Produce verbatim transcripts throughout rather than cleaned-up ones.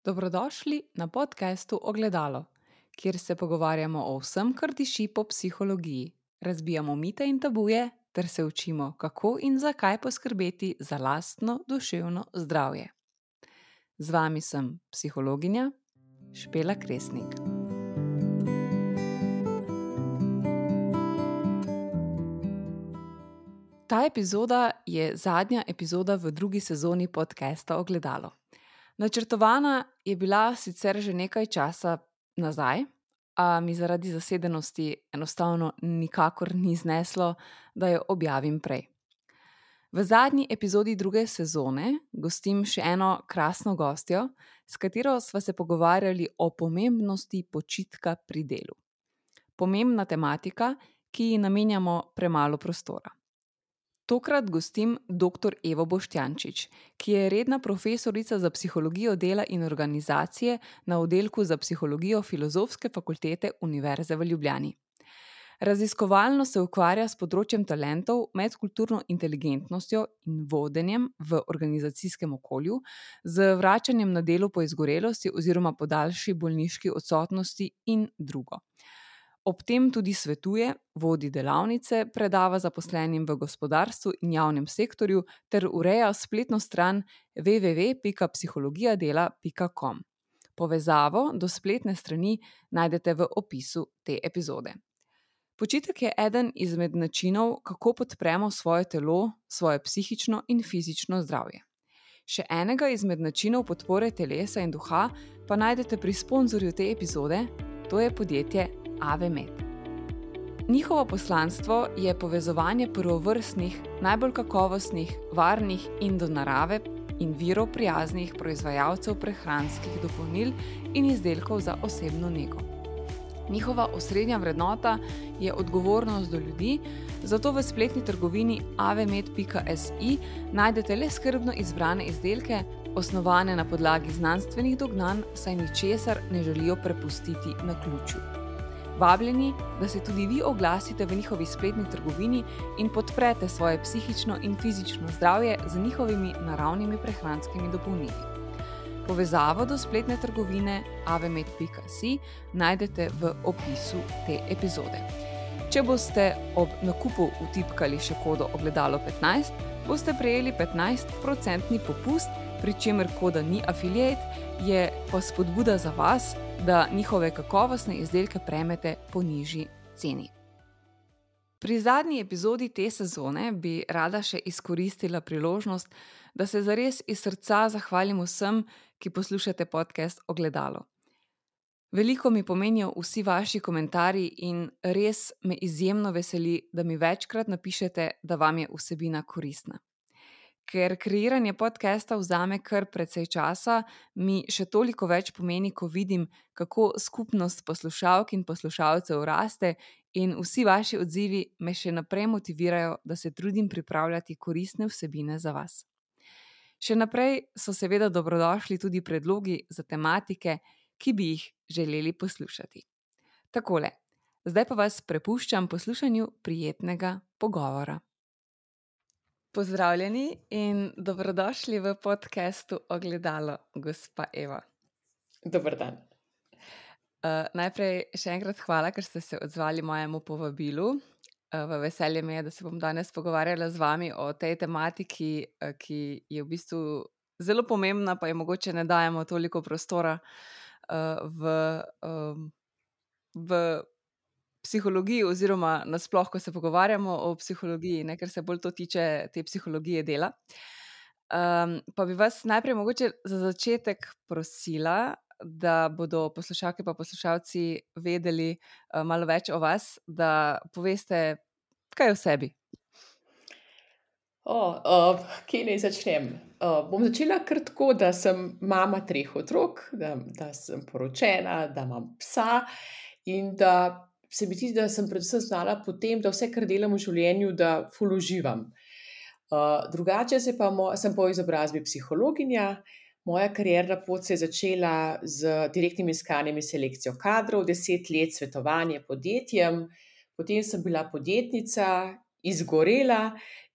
Dobrodošli na podkastu Ogledalo, kjer se pogovarjamo o vsem, kar diši po psihologiji. Razbijamo mite in tabuje ter se učimo, kako in zakaj poskrbeti za lastno duševno zdravje. Z vami sem psihologinja Špela Kresnik. Ta epizoda je zadnja epizoda v drugi sezoni podcasta Ogledalo. Načrtovana je bila sicer že nekaj časa nazaj, a mi zaradi zasedenosti enostavno nikakor ni zneslo, da jo objavim prej. V zadnji epizodi druge sezone gostim še eno krasno gostjo, s katero sva se pogovarjali o pomembnosti počitka pri delu. Pomembna tematika, ki ji namenjamo premalo prostora. Tokrat gostim dr. Evo Boštjančič, ki je redna profesorica za psihologijo dela in organizacije na oddelku za psihologijo Filozofske fakultete Univerze v Ljubljani. Raziskovalno se ukvarja s področjem talentov, medkulturno inteligentnostjo in vodenjem v organizacijskem okolju, z vračanjem na delo po izgorelosti oziroma po daljši bolniški odsotnosti in drugo. Ob tem tudi svetuje, vodi delavnice, predava zaposlenim v gospodarstvu in javnem sektorju ter ureja spletno stran w w w pika psihologijadela pika com. Povezavo do spletne strani najdete v opisu te epizode. Počitek je eden izmed načinov, kako podpremo svoje telo, svoje psihično in fizično zdravje. Še enega izmed načinov podpore telesa in duha pa najdete pri sponzorju te epizode, to je podjetje Avemed. Njihovo poslanstvo je povezovanje prvovrstnih, najbolj kakovostnih, varnih in do narave in virov prijaznih proizvajalcev prehranskih dopolnil in izdelkov za osebno nego. Njihova osrednja vrednota je odgovornost do ljudi, zato v spletni trgovini avemed pika si najdete le skrbno izbrane izdelke, osnovane na podlagi znanstvenih dognanj, saj ničesar ne želijo prepustiti naključju. Vabljeni, da se tudi vi oglasite v njihovi spletni trgovini in podprete svoje psihično in fizično zdravje z njihovimi naravnimi prehranskimi dopolnili. Povezavo do spletne trgovine avemed pika si najdete v opisu te epizode. Če boste ob nakupu vtipkali še kodo ogledalo petnajst, boste prejeli petnajst procentni popust, pri čemer koda ni affiliate, je pa spodbuda za vas, da njihove kakovostne izdelke prejmete po nižji ceni. Pri zadnji epizodi te sezone bi rada še izkoristila priložnost, da se zares iz srca zahvalim vsem, ki poslušate podcast Ogledalo. Veliko mi pomenijo vsi vaši komentarji in res me izjemno veseli, da mi večkrat napišete, da vam je vsebina koristna. Ker kreiranje podcasta vzame kar precej časa, mi še toliko več pomeni, ko vidim, kako skupnost poslušalk in poslušalcev raste in vsi vaši odzivi me še naprej motivirajo, da se trudim pripravljati koristne vsebine za vas. Še naprej so seveda dobrodošli tudi predlogi za tematike, ki bi jih želeli poslušati. Takole, zdaj pa vas prepuščam poslušanju prijetnega pogovora. Pozdravljeni in dobrodošli v podcastu Ogledalo, gospa Eva. Dober dan. Uh, najprej še enkrat hvala, ker ste se odzvali mojemu povabilu. Uh, v veselje mi je, da se bom danes pogovarjala z vami o tej tematiki, uh, ki je v bistvu zelo pomembna, pa je mogoče ne dajemo toliko prostora uh, v, um, v psihologiji oziroma nasploh, ko se pogovarjamo o psihologiji, ne, ker se bolj to tiče te psihologije dela. Um, pa bi vas najprej mogoče za začetek prosila, da bodo poslušalke pa poslušalci vedeli uh, malo več o vas, da poveste kaj o sebi. O, uh, kje naj začnem? Uh, bom začela kar tako, da sem mama treh otrok, da, da sem poročena, da imam psa in da se mi zdi, da sem predvsem znala potem, da vse, kar delam v življenju, da ful uživam. Uh, drugače se pa mo- sem po izobrazbi psihologinja. Moja karierna pot se je začela z direktnim iskanjem in selekcijo kadrov, deset let svetovanje podjetjem, potem sem bila podjetnica, izgorela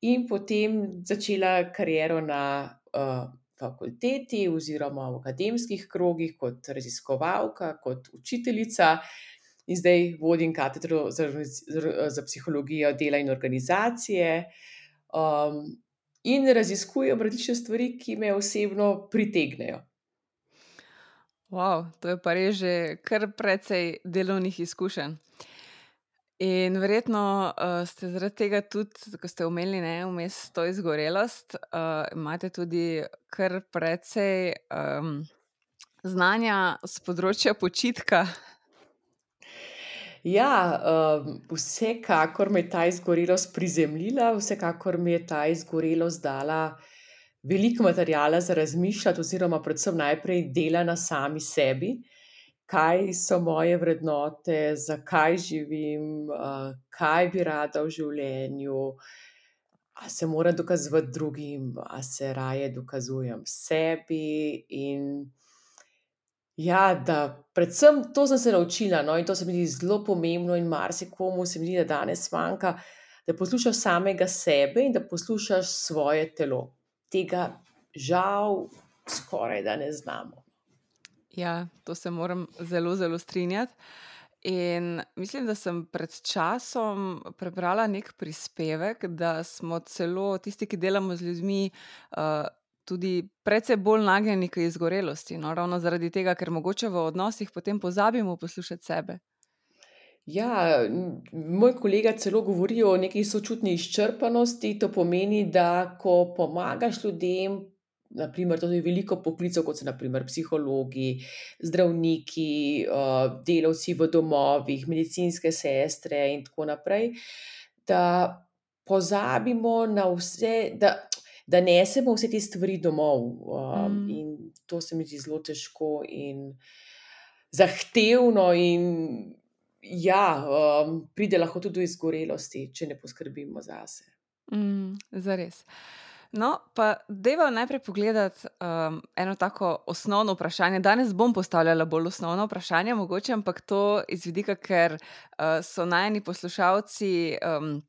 in potem začela kariero na uh, fakulteti oziroma v akademskih krogih kot raziskovalka, kot učiteljica in zdaj vodim katedro za za psihologijo dela in organizacije, um, in raziskujem različne stvari, ki me osebno pritegnejo. Wow, to je pa res že kar precej delovnih izkušenj. In verjetno, uh, ste zaradi tega tudi, ko ste omenili, ne, vmes to izgorelost, uh, imate tudi kar precej um, znanja s področja počitka. Ja, um, vsekakor me je ta izgorelost prizemljila, vsekakor mi je ta izgorelost dala veliko materiala za razmišljati oziroma predvsem najprej dela na sami sebi, kaj so moje vrednote, zakaj živim, uh, kaj bi rada v življenju, a se moram dokazovati drugim, a se raje dokazujem sebi in ja, da predvsem to sem se naučila, no, in to se mi zdi zelo pomembno in marsikomu se mi zdi, da danes manjka, da poslušaš samega sebe in da poslušaš svoje telo. Tega žal skorajda ne znamo. Ja, to se moram zelo, zelo strinjati. In mislim, da sem pred časom prebrala nek prispevek, da smo celo tisti, ki delamo z ljudmi, uh, tudi precej bolj nagnjeni k izgorelosti, no, ravno zaradi tega, ker mogoče v odnosih potem pozabimo poslušati sebe. Ja, m moj kolega celo govori o neki sočutni izčrpanosti, to pomeni, da ko pomagaš ljudem, na primer, to je veliko poklicev, kot so na primer psihologi, zdravniki, uh, delavci v domovih, medicinske sestre in tako naprej, da pozabimo na vse, da da nesemo vse te stvari domov, um, Mm. in to se mi zdi zelo težko in zahtevno in ja, um, pride lahko tudi do izgorelosti, če ne poskrbimo zase. Mm, zares. No, pa dajva najprej pogledati um, eno tako osnovno vprašanje. Danes bom postavljala bolj osnovno vprašanje, mogoče, ampak to iz vidika, ker uh, so najini poslušalci um,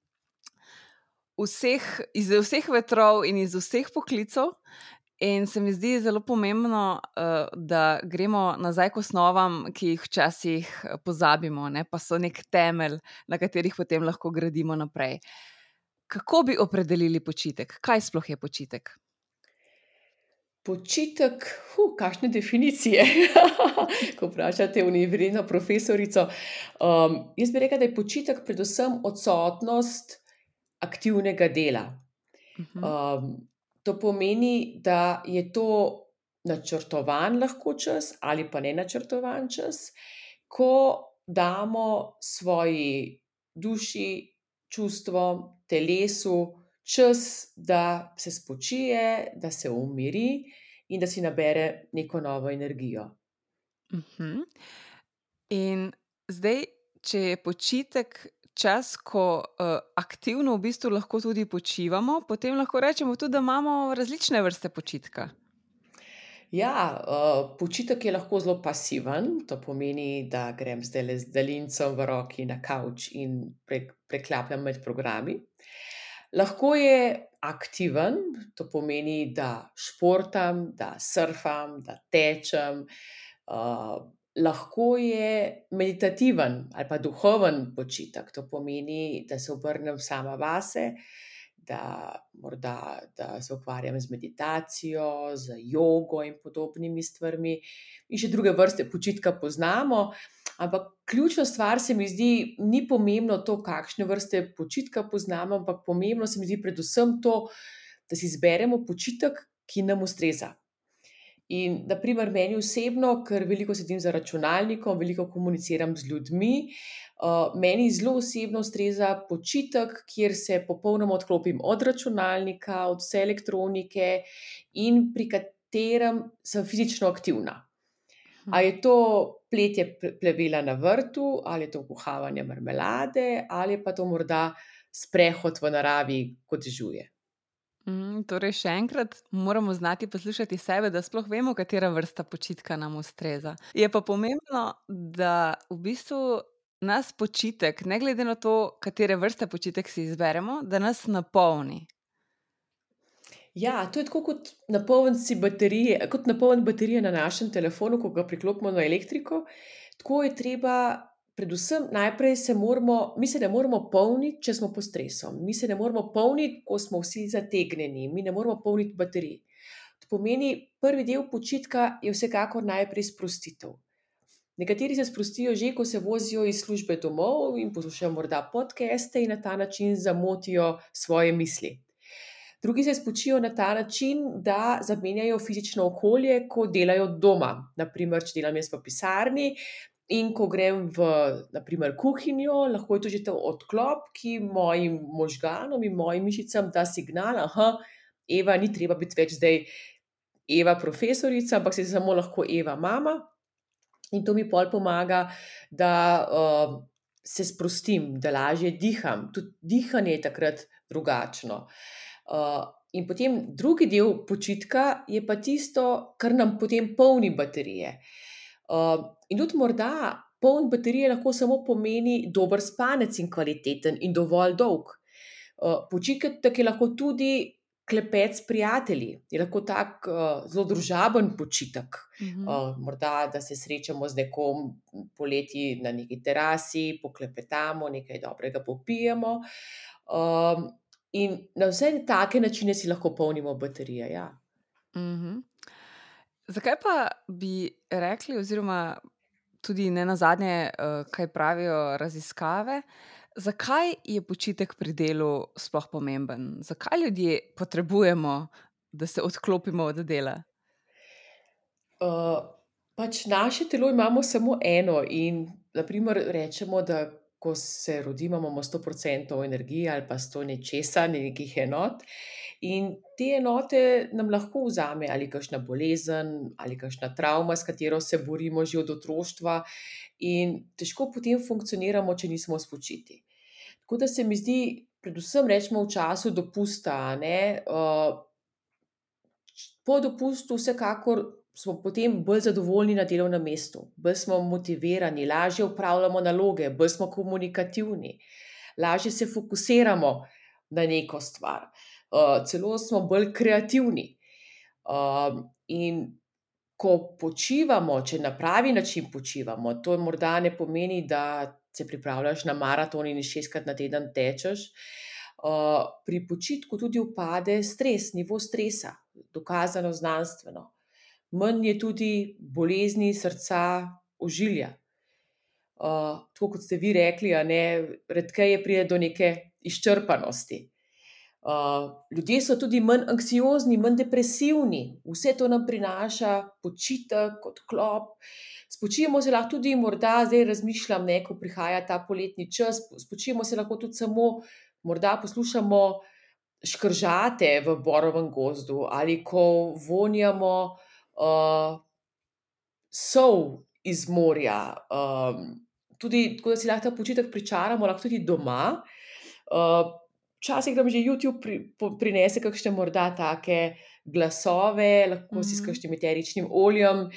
vseh, iz vseh vetrov in iz vseh poklicev. In se mi zdi zelo pomembno, uh, da gremo nazaj k osnovam, ki jih včasih eh, pozabimo, ne, pa so nek temelj, na katerih potem lahko gradimo naprej. Kako bi opredelili počitek? Kaj sploh je počitek? Počitek, hu, kakšne definicije, ko vprašate univerzitetno profesorico. Um, jaz bi rekla, da je počitek predvsem odsotnost aktivnega dela. Mhm. Um, to pomeni, da je to načrtovan lahko čas ali pa nenačrtovan čas, ko damo svoji duši, čustvom, telesu čas, da se spočije, da se umiri in da si nabere neko novo energijo. Mhm. In zdaj, če je počitek čas, ko uh, aktivno v bistvu lahko tudi počivamo, potem lahko rečemo tudi, da imamo različne vrste počitka. Ja, uh, počitek je lahko zelo pasiven, to pomeni, da grem zdajle z daljincem v roki na kavč in prek preklapljam med programi. Lahko je aktiven, to pomeni, da športam, da surfam, da tečem. Uh, lahko je meditativen ali pa duhoven počitek, to pomeni, da se obrnem sama vase, da morda, da se ukvarjam z meditacijo, z jogo in podobnimi stvarmi. In še druge vrste počitka poznamo, ampak ključna stvar se mi zdi, ni pomembno to, kakšne vrste počitka poznamo, ampak pomembno se mi zdi predvsem to, da si izberemo počitek, ki nam ustreza. In na primer meni osebno, ker veliko sedim za računalnikom, veliko komuniciram z ljudmi, uh, meni zelo osebno ustreza počitek, kjer se popolnoma odklopim od računalnika, od vse elektronike in pri katerem sem fizično aktivna. A Mhm. je to pletje ple plevela na vrtu, ali je to kuhavanje marmelade, ali je pa to morda sprehod v naravi, kot dežuje. Mm, torej, še enkrat moramo znati poslušati sebe, da sploh vemo, katera vrsta počitka nam ustreza. Je pa pomembno, da v bistvu nas počitek, ne glede na to, katere vrste počitek si izberemo, da nas napolni. Ja, to je tako kot napolniti si baterije, kot napolniti baterije na našem telefonu, ko ga priklopimo na elektriko. Tako je treba, predvsem najprej se moramo, mi se ne moremo polniti, če smo pod stresom. Mi se ne moremo polniti, ko smo vsi zategnjeni. Mi ne moremo polniti baterij. To pomeni, prvi del počitka je vsekakor najprej sprostitev. Nekateri se sprostijo že, ko se vozijo iz službe domov in poslušajo morda podcaste in na ta način zamotijo svoje misli. Drugi se spočijo na ta način, da zamenjajo fizično okolje, ko delajo doma. Naprimer, če delam jaz v pisarni in ko grem v, naprimer, kuhinjo, lahko je to že ta odklop, ki mojim možganom in mojim mišicam da signal, aha, Eva, ni treba biti več zdaj Eva profesorica, ampak si samo lahko Eva mama. In to mi pol pomaga, da uh, se sprostim, da lažje diham. Tudi dihanje je takrat drugačno. Uh, in potem drugi del počitka je pa tisto, kar nam potem polni baterije. Uh, in tudi morda poln baterije lahko samo pomeni dober spanec in kvaliteten in dovolj dolg. Uh, počitek je lahko tudi klepet s prijatelji, je lahko tak uh, zelo družaben počitek. Mhm. Uh, morda, da se srečamo z nekom poleti na neki terasi, poklepetamo, nekaj dobrega popijemo. Um, in na vse take načine si lahko polnimo baterije. Ja. Mhm. Zakaj pa bi rekli, oziroma tudi ne nazadnje, uh, kaj pravijo raziskave, zakaj je počitek pri delu sploh pomemben? Zakaj ljudje potrebujemo, da se odklopimo od dela? Uh, pač naše telo imamo samo eno in naprimer rečemo, da ko se rodimo, imamo sto procentov energije ali pa sto nečesa, nekih enot. In te enote nam lahko vzame ali kakšna bolezen ali kakšna travma, s katero se borimo že od otroštva, in težko potem funkcioniramo, če nismo spočiti. Tako da se mi zdi, predvsem rečemo v času dopusta, a ne, uh, po dopustu vsekakor smo potem bolj zadovoljni na delovnem mestu, bolj smo motivirani, lažje opravljamo naloge, bolj smo komunikativni, lažje se fokusiramo na neko stvar, uh, celo smo bolj kreativni. Um, in ko počivamo, če na pravi način počivamo, to morda ne pomeni, da se pripravljaš na maraton in šestkrat na teden tečeš. Uh, pri počitku tudi upade stres, nivo stresa, dokazano znanstveno. Manj je tudi bolezni srca, ožilja. Uh, tako kot ste vi rekli, a ne, redkeje pride do neke izčrpanosti. Uh, ljudje so tudi manj anksiozni, manj depresivni, vse to nam prinaša počitek, odklop. Spočijemo se lahko tudi, morda zdaj razmišljam, ne, ko prihaja ta poletni čas, spočijemo se lahko tudi samo, morda poslušamo škržate v borovem gozdu ali ko vonjamo uh, sol iz morja. Um, tudi tako, da si lahko ta počitek pričaramo, lahko tudi doma. Uh, Včasih nam že YouTube pri, po, prinese kakšne morda take glasove, lahko si s Mhm. kakšnim eteričnim oljem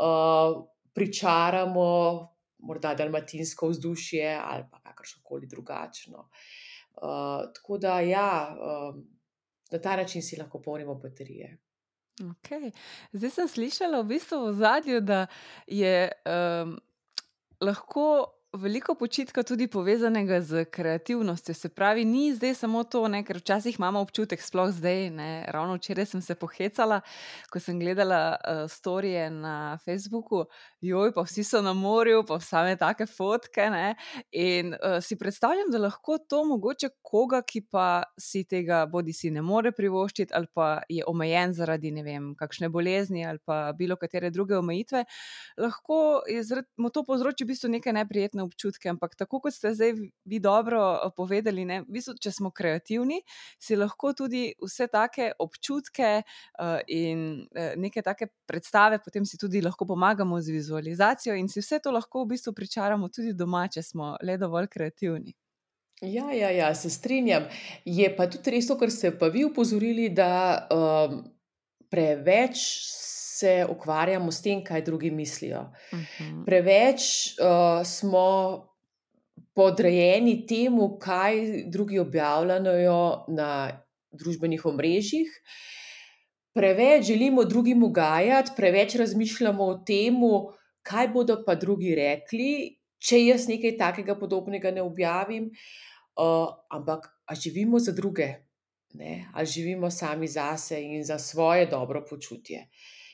uh, pričaramo morda dalmatinsko vzdušje ali pa kakršnokoli drugačno. Uh, tako da ja, um, na ta način si lahko polnimo baterije. Okej. Zdaj sem slišala v bistvu v ozadju, da je, um, lahko veliko počitka tudi povezanega s kreativnostjo. Se pravi, ni zdaj samo to, ne, ker včasih imamo občutek, sploh zdaj, ne, ravno včeraj sem se pohecala, ko sem gledala, uh, storije na Facebooku, joj, pa vsi so na morju, pa same take fotke, ne, in, uh, si predstavljam, da lahko to mogoče koga, ki pa si tega bodisi ne more privoščiti ali pa je omejen zaradi, ne vem, kakšne bolezni ali pa bilokatere druge omejitve, lahko je zaradi mu to povzroči v bistvu neke neprijetne občutke, ampak tako kot ste zdaj vi- vi dobro, uh, povedali, ne, v bistvu, če smo kreativni, si lahko tudi vse take občutke, uh, in, uh, neke take predstave, potem si tudi lahko pomagamo z vizualizacijo in si vse to lahko v bistvu pričaramo tudi doma, če smo le dovolj kreativni. Ja, ja, ja, se strinjam. Je pa tudi res to, kar ste pa vi opozorili, da um, preveč se ukvarjamo s tem, kaj drugi mislijo. Mhm. Preveč uh, smo podrejeni temu, kaj drugi objavljajo na družbenih omrežjih. Preveč želimo drugim ugajati, preveč razmišljamo o tem, kaj bodo pa drugi rekli, če jaz nekaj takega podobnega ne objavim. Uh, ampak a živimo za druge, ne? Ali živimo sami zase in za svoje dobro počutje.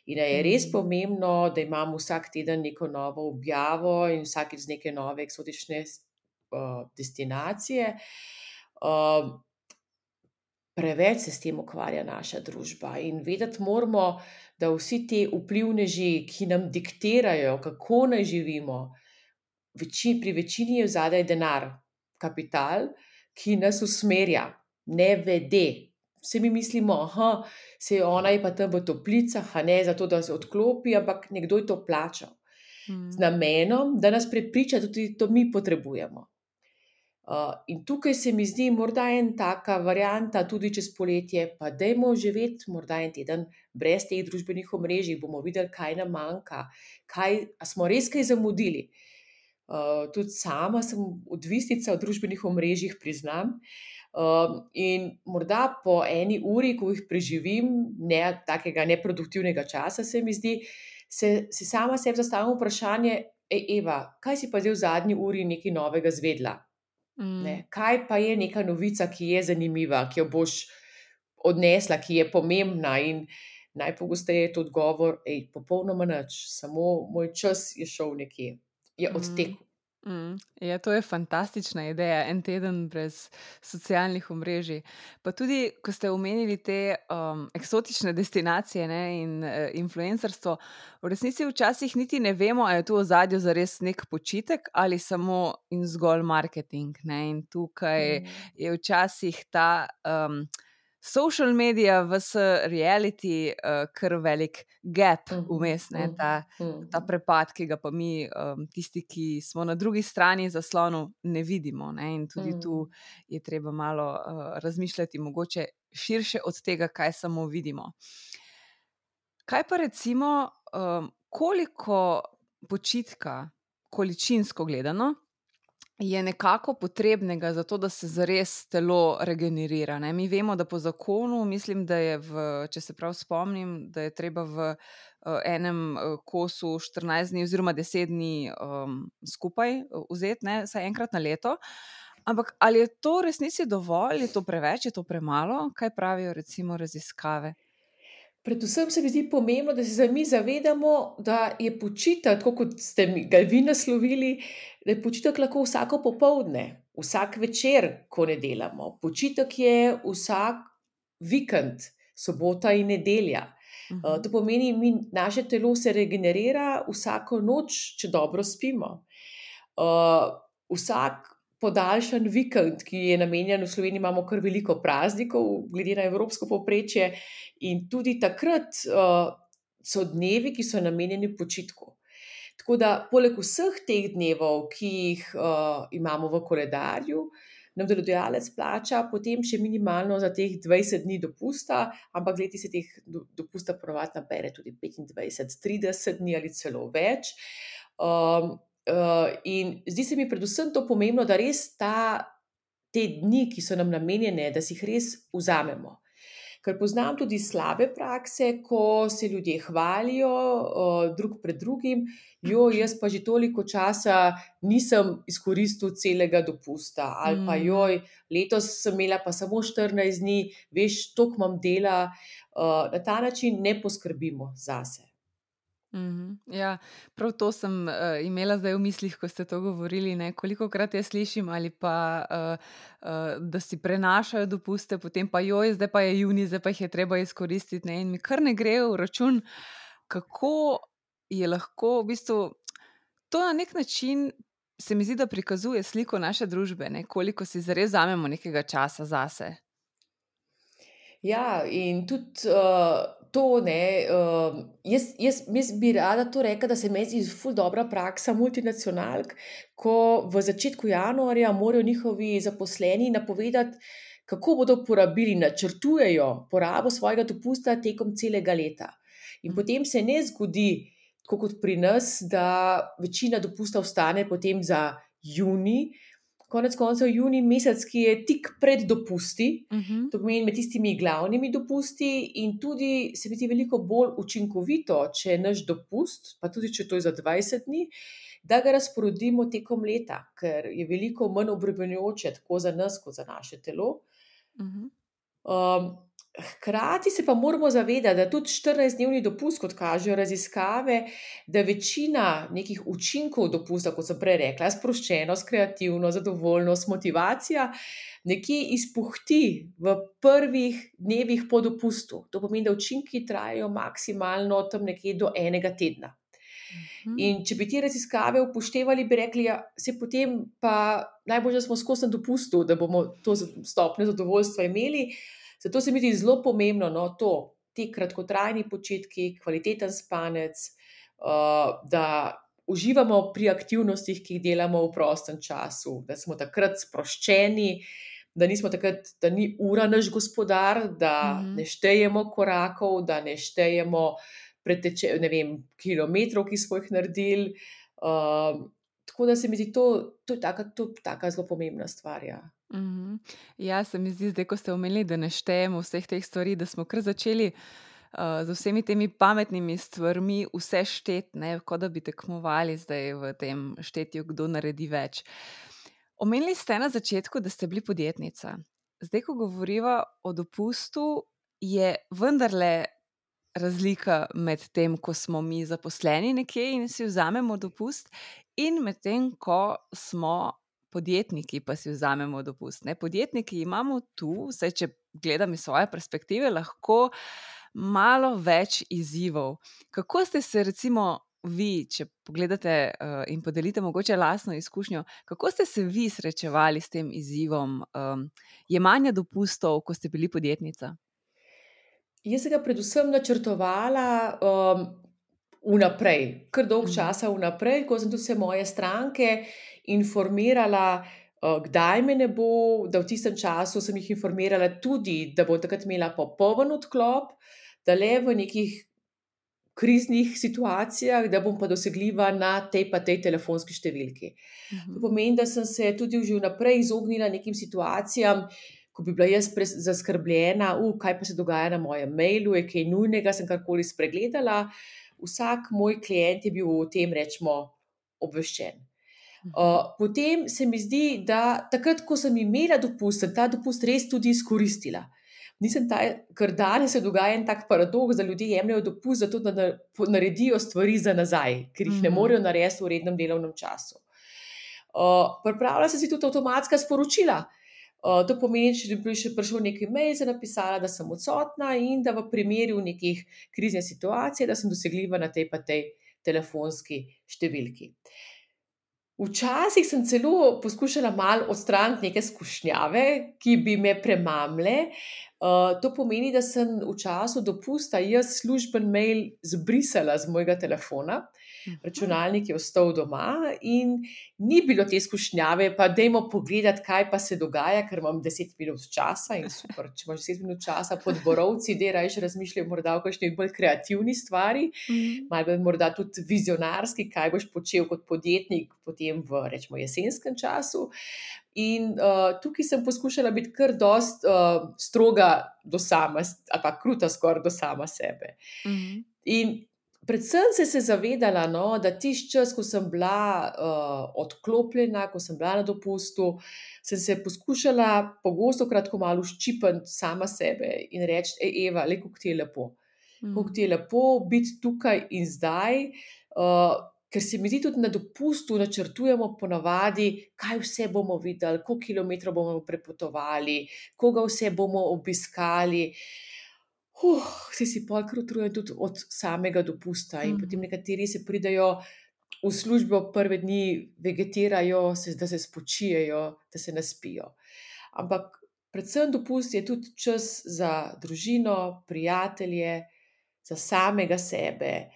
In a je res Mm. pomembno, da imamo vsak teden neko novo objavo in vsakič z neke nove eksotične uh, destinacije. Uh, Preveč se s tem ukvarja naša družba in vedeti moramo, da vsi ti vplivneži, ki nam diktirajo, kako naj živimo, veči, pri večini je zadaj denar, kapital, ki nas usmerja, ne vede. Vsi mi mislimo, aha, se ona je pa tam v toplicah, a ne zato, da se odklopi, ampak nekdo je to plačal. Z Mm. namenom, da nas prepriča, da tudi to mi potrebujemo. Uh, in tukaj se mi zdi morda en taka varianta, tudi čez poletje, pa dajmo živeti morda en teden brez teh družbenih omrežij, bomo videli, kaj nam manjka, kaj, a smo res kaj zamudili. Uh, tudi sama sem odvisnica od družbenih omrežjih, priznam. Uh, in morda po eni uri, ko jih preživim, ne takega neproduktivnega časa, se mi zdi, se, se sama sebi zastavim vprašanje, ej, Eva, kaj si pa zdaj v zadnji uri nekaj novega zvedla? Ne, Mm. kaj pa je neka novica, ki je zanimiva, ki jo boš odnesla, ki je pomembna? In najpogosteje je to odgovor, ej, popolnoma nič, samo moj čas je šel nekje, je Mm. odtekel. Mm. Ja, to je fantastična ideja, en teden brez socialnih omrežij. Pa tudi, ko ste omenili te um, eksotične destinacije, ne, in uh, influencerstvo, v resnici včasih niti ne vemo, ali je tu v ozadju zares nek počitek ali samo in zgolj marketing. Ne. In tukaj Mm. je včasih ta um, social media vs reality uh, kar velik gap Mhm, vmes, ne, mhm, ta ta mhm, prepad, ki ga pa mi, um, tisti, ki smo na drugi strani zaslonu, ne vidimo. Ne? In tudi tu mhm. je treba malo uh, razmišljati, mogoče širše od tega, kaj samo vidimo. Kaj pa recimo, um, koliko počitka, količinsko gledano, je nekako potrebnega za to, da se zares telo regenerira. Ne? Mi vemo, da po zakonu, mislim, da je, v, če se prav spomnim, da je treba v uh, enem uh, kosu štirinajst dni oziroma deset dni um, skupaj uh, vzeti, ne, vsaj enkrat na leto. Ampak ali je to v resnici dovolj, je to preveč, je to premalo? Kaj pravijo recimo raziskave? Predvsem se mi zdi pomembno, da se mi zavedamo, da je počitek, tako kot ste mi ga vi naslovili, da je počitek lahko vsako popoldne, vsak večer, ko ne delamo. Počitek je vsak vikend, sobota in nedelja. Uh, Mhm. to pomeni, mi, naše telo se regenerira vsako noč, če dobro spimo. Uh, vsak podaljšan vikend, ki je namenjen, v Sloveniji imamo kar veliko praznikov, glede na evropsko povprečje, in tudi takrat uh, so dnevi, ki so namenjeni počitku. Tako da, poleg vseh teh dnevov, ki jih uh, imamo v koledarju, nam delodajalec plača potem še minimalno za teh dvajset dni dopusta, ampak leti se teh do, dopusta ponovadi nabere tudi petindvajset, trideset dni ali celo več. Um, uh, in zdi se mi predvsem to pomembno, da res ta, te dni, ki so nam namenjene, da si jih res vzamemo. Ker poznam tudi slabe prakse, ko se ljudje hvalijo uh, drug pred drugim, jo, jaz pa že toliko časa nisem izkoristil celega dopusta, ali pa Mm. joj, letos sem imela pa samo štirinajst dni, veš, toliko imam dela. Uh, na ta način ne poskrbimo zase. Mhm. Ja, prav to sem uh, imela zdaj v mislih, ko ste to govorili. Kolikokrat jaz slišim, ali pa uh, uh, da si prenašajo dopuste, potem pa joj, zdaj pa je juni, zdaj pa jih je treba izkoristiti. Ne? In mi kar ne gre v račun, kako je lahko v bistvu to na nek način. Se mi zdi, da prikazuje sliko naše družbe, ne? Koliko si zares vzamemo nekega časa zase. Ja, in tudi uh, to, ne, uh, jaz, jaz, jaz bi rada to rekla, da se mi zdi ful dobra praksa multinacionalk, ko v začetku januarja morajo njihovi zaposleni napovedati, kako bodo porabili, načrtujejo porabo svojega dopusta tekom celega leta. In Mhm. potem se ne zgodi, tako kot pri nas, da večina dopusta ostane potem za junij, konec koncev junij mesec, ki je tik pred dopusti, Mhm. to pomeni med tistimi glavnimi dopusti, in tudi se mi zdi veliko bolj učinkovito, če je naš dopust, pa tudi če to je za dvajset dni, da ga razporedimo tekom leta, ker je veliko manj obremenjujoče tako za nas kot za naše telo. Mhm. Um, hkrati se pa moramo zavedati, da tudi štirinajstdnevni dopust, kot kažejo raziskave, da večina nekih učinkov dopusta, kot sem prej rekla, sproščenost, kreativnost, zadovoljnost, motivacija, nekje izpuhti v prvih dnevih po dopustu. To pomeni, da učinki trajajo maksimalno tam nekje do enega tedna. Mhm. In če bi te raziskave upoštevali, bi rekli, ja, saj potem pa najbolje, da smo skozi na dopustu, da bomo to stopnjo zadovoljstva imeli. Zato se mi zdi zelo pomembno, no, to, ti kratkotrajni počitki, kvaliteten spanec, uh, da uživamo pri aktivnostih, ki jih delamo v prostem času, da smo takrat sproščeni, da nismo takrat, da ni ura naš gospodar, da Mhm. ne štejemo korakov, da ne štejemo preteče, ne vem, kilometrov, ki smo jih naredili. Uh, tako da se mi zdi to, to je taka, to je taka zelo pomembna stvar, ja. Mhm. Ja, se mi zdi, zdaj, ko ste omenili, da ne štejemo vseh teh stvari, da smo kar začeli uh, z vsemi temi pametnimi stvarmi vse šteti, ne, kot da bi tekmovali zdaj v tem štetju, kdo naredi več. Omenili ste na začetku, da ste bili podjetnica. Zdaj, ko govoriva o dopustu, je vendarle razlika med tem, ko smo mi zaposleni nekje in si vzamemo dopust, in med tem, ko smo podjetniki, pa si vzamemo dopust. Ne? Podjetniki imamo tu, vsaj če gledam iz svoje perspektive, lahko malo več izzivov. Kako ste se recimo vi, če pogledate uh, in podelite mogoče lastno izkušnjo, kako ste se vi srečevali s tem izzivom um, jemanja dopustov, ko ste bili podjetnica? Jaz sem ga predvsem načrtovala um, vnaprej, kar dolg Mhm. časa vnaprej, ko sem tudi vse moje stranke informirala, uh, kdaj me ne bo, da v tistem času sem jih informirala tudi, da bom takrat imela popoln odklop, da le v nekih kriznih situacijah, da bom pa dosegljiva na tej pa tej telefonski številki. To Mhm. pomeni, da sem se tudi že vnaprej izognila nekim situacijam, ko bi bila jaz pres zaskrbljena, uh, kaj pa se dogaja na mojem mailu, je kaj nujnega, sem karkoli spregledala. Vsak moj klient je bil o tem, recimo, obveščen. Mhm. Uh, potem se mi zdi, da takrat, ko sem imela dopust, sem ta dopust res tudi izkoristila. Nisem ta, ker danes se dogaja en tak paradoks, da ljudje jemljejo dopust zato, da na, po- naredijo stvari za nazaj, ker jih ne Mhm. morejo narediti v rednem delovnem času. Uh, pripravlja se si tudi avtomatska sporočila. Uh, to pomeni, če bi še prišel neki mail, sem napisala, da sem odsotna in da v primeru nekih krizne situacije, da sem dosegljiva na tej pa tej telefonski številki. Včasih sem celo poskušala malo odstraniti neke skušnjave, ki bi me premamile. Uh, to pomeni, da sem v času dopusta jaz služben mail zbrisala z mojega telefona, Mhm. računalnik je ostal doma in ni bilo te skušnjave, pa dajmo pogledati, kaj pa se dogaja, ker imam deset minut časa in super, če imaš deset minut časa pod borovci, daj rajši razmišljaj morda o kakšni bolj kreativni stvari, Mhm. malo bolj morda tudi vizionarski, kaj boš počel kot podjetnik potem v, recimo, jesenskem času. In uh, tukaj sem poskušala biti kar dost uh, stroga do sama, ali pa kruta skoraj do sama sebe. Mhm. In predvsem sem se zavedala, no, da tisti čas, ko sem bila uh, odklopljena, ko sem bila na dopustu, sem se poskušala pogosto kratko malo ščipati sama sebe in reči, ej, Eva, le kako ti je lepo. Kako ti je lepo biti tukaj in zdaj, uh, ker se mi zdi tudi na dopustu načrtujemo ponavadi, kaj vse bomo videli, koliko kilometrov bomo prepotovali, koga vse bomo obiskali. Huh, si si pol kar utrujen tudi od samega dopusta in potem Mhm. nekateri se pridejo v službo prve dni, vegetirajo, se, da se spočijejo, da se naspijo. Ampak predvsem dopust je tudi čas za družino, prijatelje, za samega sebe.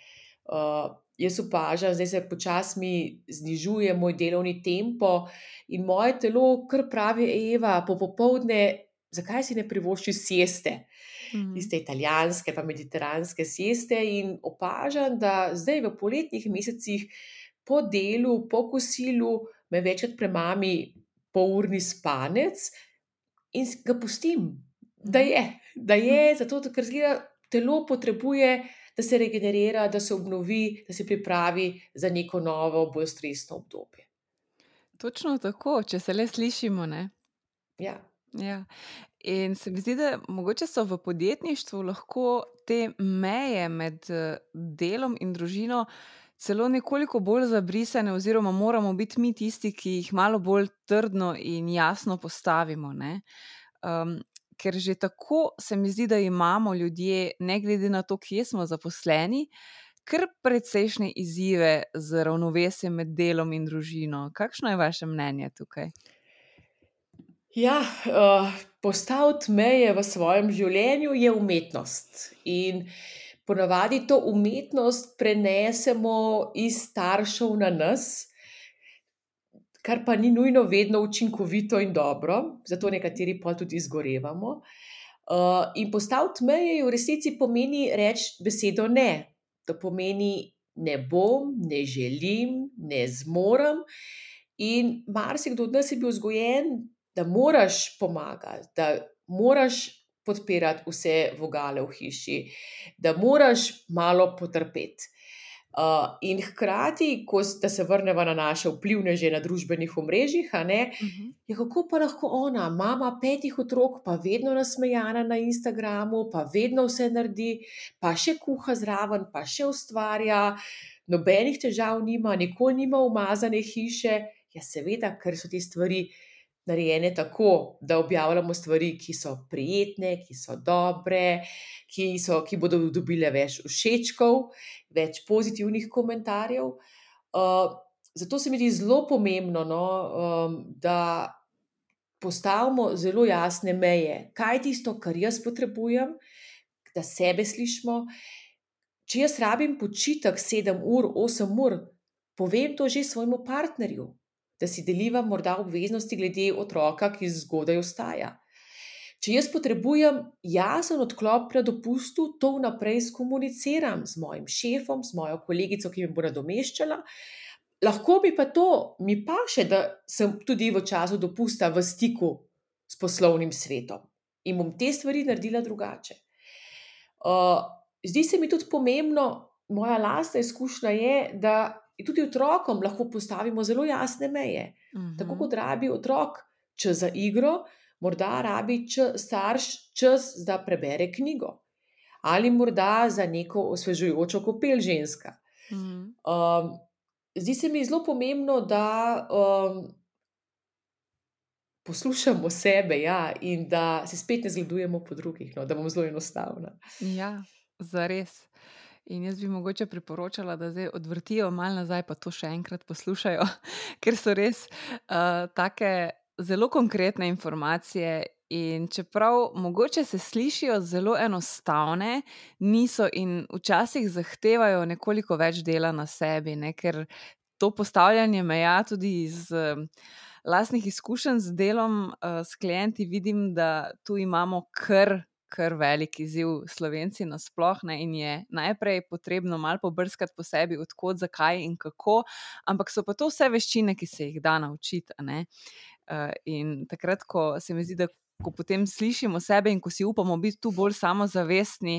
Uh, jaz opažam, zdaj se počasi mi znižuje moj delovni tempo in moje telo kar pravi, Eva, po popovdne, zakaj si ne privoščiš sieste? Mhm. Tiste italijanske pa mediteranske sieste in opažam, da zdaj v poletnih mesecih po delu, po kosilu me večkrat premami polurni spanec in s- ga pustim, da Mhm. je, da je, Mhm. zato ker zgleda, telo potrebuje, da se regenerira, da se obnovi, da se pripravi za neko novo, bolj stresno obdobje. Točno tako, če se le slišimo, ne. Ja. Ja. In se mi zdi, da mogoče so v podjetništvu lahko te meje med, eh, delom in družino celo nekoliko bolj zabrisane oziroma moramo biti mi tisti, ki jih malo bolj trdno in jasno postavimo, ne. Um, ker že tako se mi zdi, da imamo ljudje, ne glede na to, kje smo zaposleni, kar precejšnje izzive z ravnovesjem med delom in družino. Kakšno je vaše mnenje tukaj? Ja, uh, postaviti meje v svojem življenju je umetnost. In ponavadi to umetnost prenesemo iz staršev na nas, kar pa ni nujno vedno učinkovito in dobro, zato nekateri pa tudi izgorevamo. Uh, in postaviti meje v resnici pomeni reči besedo ne. To pomeni ne bom, ne želim, ne zmorem. In marsikdo od nas je bil vzgojen, da moraš pomagati, da moraš podpirati vse vogale v hiši, da moraš malo potrpeti. Uh, in hkrati, ko, s- da se vrnemo na naše vplivneže na družbenih omrežjih, a ne, Mhm. je kako pa lahko ona, mama petih otrok, pa vedno nasmejana na Instagramu, pa vedno vse naredi, pa še kuha zraven, pa še ustvarja, nobenih težav nima, nikoli nima umazane hiše. Ja, seveda, ker so te stvari narejene tako, da objavljamo stvari, ki so prijetne, ki so dobre, ki, so, ki bodo dobile več všečkov, več pozitivnih komentarjev. Uh, zato se mi zdi zelo pomembno, no, um, da postavimo zelo jasne meje, kaj je tisto, kar jaz potrebujem, da sebe slišimo. Če jaz rabim počitek sedem ur, osem ur, povem to že svojemu partnerju, da si deliva morda obveznosti glede otroka, ki zgodaj vstaja. Če jaz potrebujem jasen odklop na dopustu, to vnaprej skomuniciram z mojim šefom, z mojo kolegico, ki me bo nadomeščala. Lahko mi pa to, mi paše, da sem tudi v času dopusta v stiku s poslovnim svetom in bom te stvari naredila drugače. Uh, Zdi se mi tudi pomembno, moja lastna izkušnja je, da tudi otrokom lahko postavimo zelo jasne meje. Tako Mhm. kot rabi otrok čas za igro, morda rabi č- starš čas, da prebere knjigo ali morda za neko osvežujočo kopel ženska. Mhm. Um, Zdi se mi zelo pomembno, da um, poslušamo sebe, ja, in da se spet ne zgledujemo po drugih, no, da bom zelo enostavna. Ja, zares. In jaz bi mogoče priporočala, da zdaj odvrtijo malo nazaj, pa to še enkrat poslušajo, ker so res uh, take zelo konkretne informacije. In čeprav mogoče se slišijo zelo enostavne, niso in včasih zahtevajo nekoliko več dela na sebi, ne? Ker to postavljanje meja tudi iz um, lastnih izkušenj z delom uh, s klienti vidim, da tu imamo kar kar velik izziv Slovenci nasploh, ne, in je najprej potrebno malo pobrskati po sebi, od kod, zakaj in kako, ampak so pa to vse veščine, ki se jih da naučiti, a ne. Uh, in takrat, ko se mi zdi, da ko potem slišimo sebe in ko si upamo biti tu bolj samozavestni,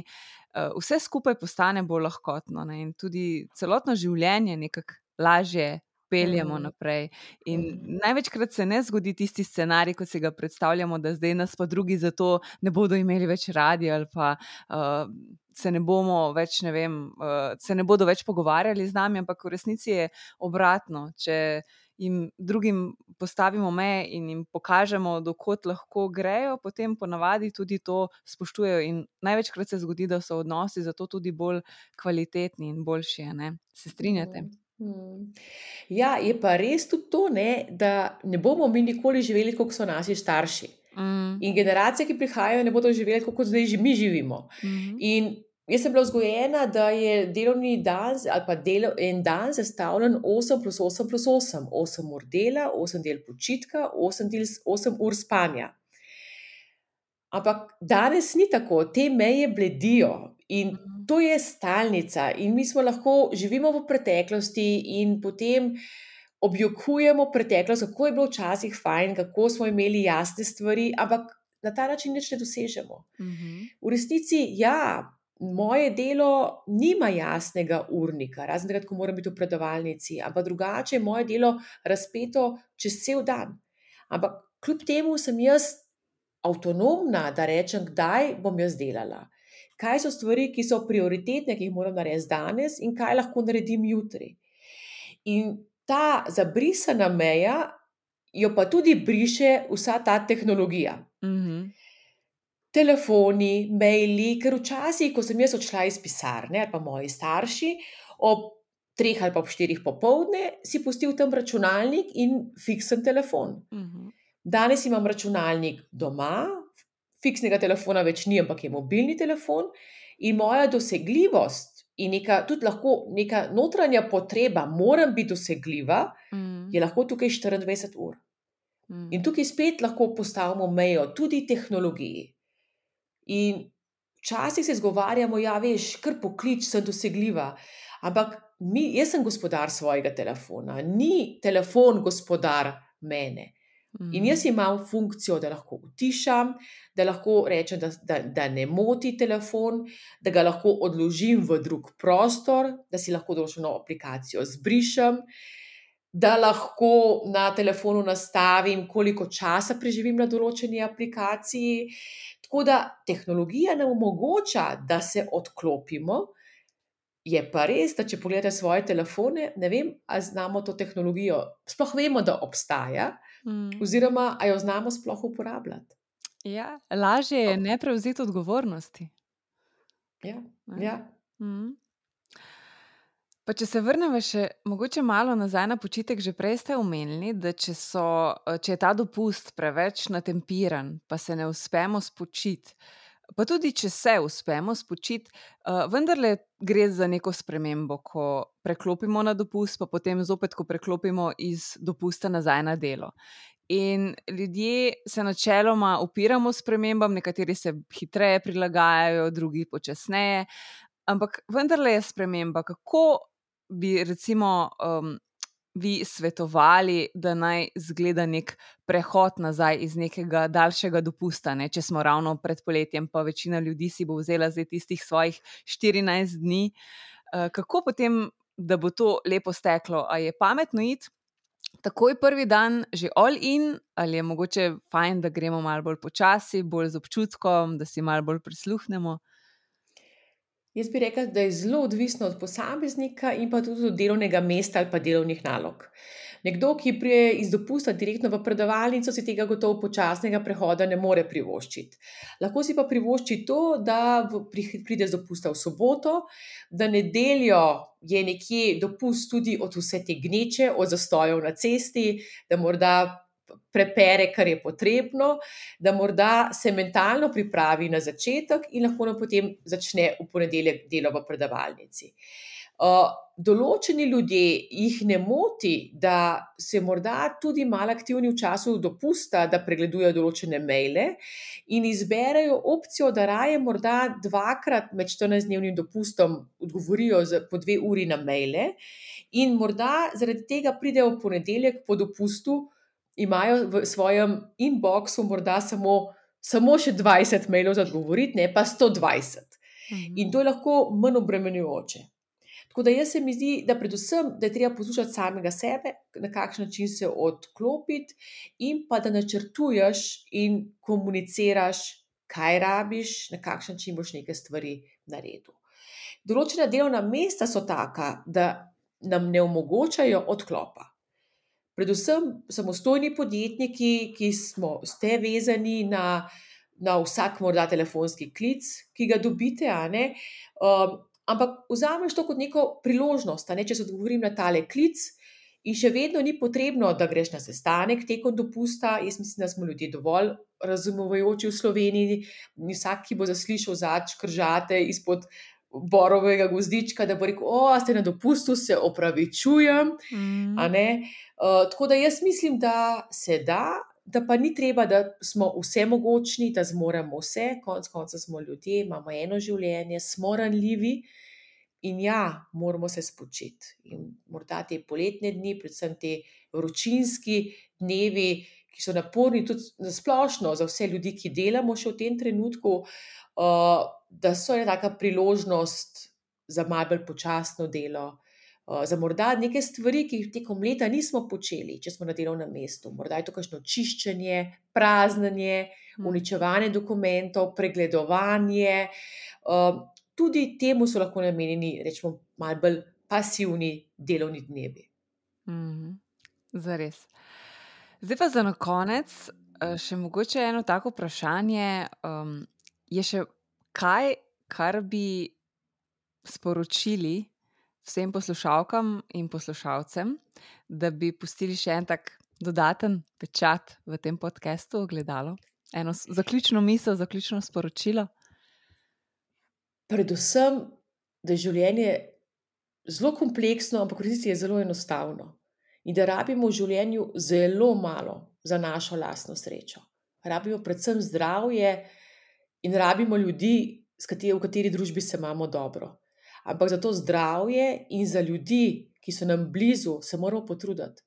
uh, vse skupaj postane bolj lahkotno, ne, in tudi celotno življenje nekako lažje peljemo Mm, naprej. In mm. največkrat se ne zgodi tisti scenarij, kot si ga predstavljamo, da zdaj nas pa drugi zato ne bodo imeli več radi ali pa uh, se ne bomo več, ne vem, uh, se ne bodo več pogovarjali z nami, ampak v resnici je obratno. Če jim drugim postavimo meje in jim pokažemo, do kod lahko grejo, potem ponavadi tudi to spoštujejo in največkrat se zgodi, da so odnosi zato tudi bolj kvalitetni in boljši, a ne. Se strinjate? Mm, mm. Ja, je pa res tudi to, ne, da ne bomo mi nikoli živeli, kot so naši starši. Mm, In generacije, ki prihajajo, ne bodo živeli, kot zdaj že mi živimo. mhm, In jaz sem bila vzgojena, da je delovni dan z- ali pa delo, en dan sestavljen osem plus osem plus osem. osem ur dela, osem del počitka, osem, del, osem ur spanja. Ampak danes ni tako, te meje bledijo in mhm, to je stalnica. In mi smo lahko živimo v preteklosti in potem objokujemo preteklost, kako je bilo včasih fajn, kako smo imeli jasne stvari, ampak na ta način nič ne dosežemo. Mhm. V resnici, ja, moje delo nima jasnega urnika, razen takrat, ko moram biti v predavalnici, ampak drugače je moje delo razpeto čez cel dan. Ampak kljub temu sem jaz avtonomna, da rečem, kdaj bom jaz delala. Kaj so stvari, ki so prioritetne, ki jih moram narediti danes in kaj lahko naredim jutri. In ta zabrisana meja jo pa tudi briše vsa ta tehnologija. Mhm. Telefoni, maili, ker včasih, ko sem jaz odšla iz pisarne ali pa moji starši, ob treh ali pa ob štirih popoldne, si pustil tam računalnik in fiksen telefon. Mhm. Danes imam računalnik doma, fiksnega telefona več ni, ampak je mobilni telefon in moja dosegljivost in neka, tudi lahko neka notranja potreba, moram biti dosegljiva, Mhm. je lahko tukaj štiriindvajset ur. In Mhm. tukaj spet lahko postavimo mejo tudi tehnologiji. In včasih se izgovarjamo, ja, veš, kar poklič, sem dosegljiva, ampak mi, jaz sem gospodar svojega telefona, ni telefon gospodar mene. In jaz imam funkcijo, da lahko utišam, da lahko rečem, da, da, da ne moti telefon, da ga lahko odložim v drug prostor, da si lahko določeno aplikacijo zbrišem, da lahko na telefonu nastavim, koliko časa preživim na določeni aplikaciji. Tako da tehnologija nam omogoča, da se odklopimo, je pa res, da če pogledate svoje telefone, ne vem, ali znamo to tehnologijo, sploh vemo, da obstaja, Mhm. oziroma a jo znamo sploh uporabljati. Ja, lažje je ne prevzeti odgovornosti. Ja, Ne? ja. Mhm. Pa če se vrnemo še mogoče malo nazaj na počitek, že prej ste omenili, da če, so, če je ta dopust preveč natempiran, pa se ne uspemo spočiti, pa tudi če se uspemo spočiti, uh, vendarle gre za neko spremembo, ko preklopimo na dopust, pa potem zopet, ko preklopimo iz dopusta nazaj na delo. In ljudje se načeloma upiramo spremembam, nekateri se hitreje prilagajajo, drugi počasneje, ampak vendarle je sprememba. Kako bi recimo um, vi svetovali, da naj izgleda nek prehod nazaj iz nekega daljšega dopusta, ne? Če smo ravno pred poletjem, pa večina ljudi si bo vzela zdaj tistih svojih štirinajst dni. Uh, kako potem, da bo to lepo steklo? A je pametno iti takoj prvi dan že all in, ali je mogoče fajn, da gremo malo bolj počasi, bolj z občutkom, da si malo bolj prisluhnemo? Jaz bi rekla, da je zelo odvisno od posameznika in pa tudi od delovnega mesta ali pa delovnih nalog. Nekdo, ki pride iz dopusta direktno v predavalnico, si tega gotovo počasnega prehoda ne more privoščiti. Lahko si pa privošči to, da v- pri- pride z dopusta v soboto, da nedeljo je nekje dopust tudi od vse te gneče, od zastojev na cesti, da morda prepere, kar je potrebno, da morda se mentalno pripravi na začetek in lahko nam potem začne v ponedeljek delo v predavalnici. Uh, določeni ljudje jih ne moti, da se morda tudi malo aktivni v času dopusta, da pregledujejo določene maile in izberejo opcijo, da raje morda dvakrat med štirinajstdnevnim dopustom odgovorijo z, po dve uri na maile in morda zaradi tega pridejo v ponedeljek po dopustu, imajo v svojem inboxu morda samo, samo še dvajset mailov za odgovoriti, ne pa sto dvajset. Mhm. In to je lahko manj obremenjujoče. Tako da jaz se mi zdi, da predvsem, da je treba poslušati samega sebe, na kakšen način se odklopiti in pa da načrtuješ in komuniciraš, kaj rabiš, na kakšen način boš neke stvari naredil. Določena delovna mesta so taka, da nam ne omogočajo odklopa. Predvsem samostojni podjetniki, ki smo, ste vezani na, na vsak morda telefonski klic, ki ga dobite, a ne, um, ampak vzameš to kot neko priložnost, a ne, če se odgovorim na tale klic in še vedno ni potrebno, da greš na sestanek tekom dopusta. Jaz mislim, da smo ljudje dovolj razumevajoči v Sloveniji, ni vsak, ki bo zaslišal zadnjič kržate izpod borovega gozdička, da bo rekel, o, a ste na dopustu, se opravičujem, Mhm. a ne. Uh, tako da jaz mislim, da se da, da pa ni treba, da smo vsemogočni, da zmoremo vse, konec koncev smo ljudje, imamo eno življenje, smo ranljivi In ja, moramo se spočiti. In morda te poletne dni, predvsem te vročinski dnevi, ki so naporni tudi na splošno za vse ljudi, ki delamo še v tem trenutku, uh, da so ena taka priložnost za malo bolj počasno delo, uh, za morda neke stvari, ki jih tekom leta nismo počeli, če smo na delovnem mestu. Morda je to kakšno čiščenje, praznjenje, uničevanje dokumentov, pregledovanje. Uh, tudi temu so lahko namenjeni, rečemo, malo bolj pasivni delovni dnevi. Mhm. Zares. Zdaj pa za na konec eh, še mogoče eno tako vprašanje. Um, je še kaj, kar bi sporočili vsem poslušalkam in poslušalcem, da bi pustili še en tak dodaten pečat v tem podcastu Ogledalo? Eno s- zaključno misel, zaključno sporočilo? Predvsem, da je življenje zelo kompleksno, ampak v resnici je zelo enostavno. In da rabimo v življenju zelo malo za našo lastno srečo. Rabimo predvsem zdravje in rabimo ljudi, s kateri, v kateri družbi se imamo dobro. Ampak za to zdravje in za ljudi, ki so nam blizu, se moramo potruditi.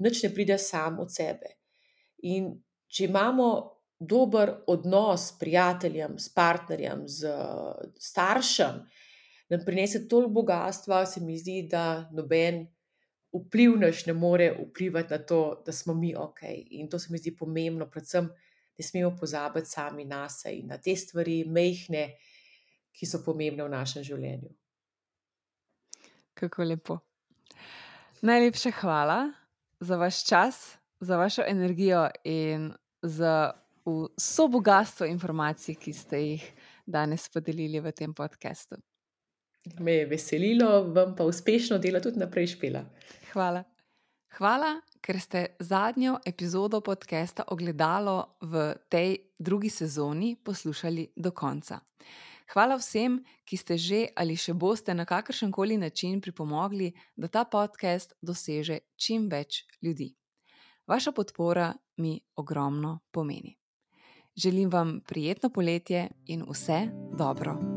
Nič ne pride sam od sebe. In če imamo dober odnos s prijateljem, s partnerjem, z staršem, nam prinese toliko bogastva, se mi zdi, da noben vpliv naš ne more vplivati na to, da smo mi ok. In to se mi zdi pomembno, predvsem ne smemo pozabiti sami nase in na te stvari, majhne, ki so pomembne v našem življenju. Kako lepo. Najlepša hvala za vaš čas, za vašo energijo in za vso bogastvo informacij, ki ste jih danes podelili v tem podkastu. Me je veselilo, vam pa uspešno delo tudi naprej, Špela. Hvala. Hvala, ker ste zadnjo epizodo podcasta Ogledalo v tej drugi sezoni poslušali do konca. Hvala vsem, ki ste že ali še boste na kakršenkoli način pripomogli, da ta podcast doseže čim več ljudi. Vaša podpora mi ogromno pomeni. Želim vam prijetno poletje in vse dobro.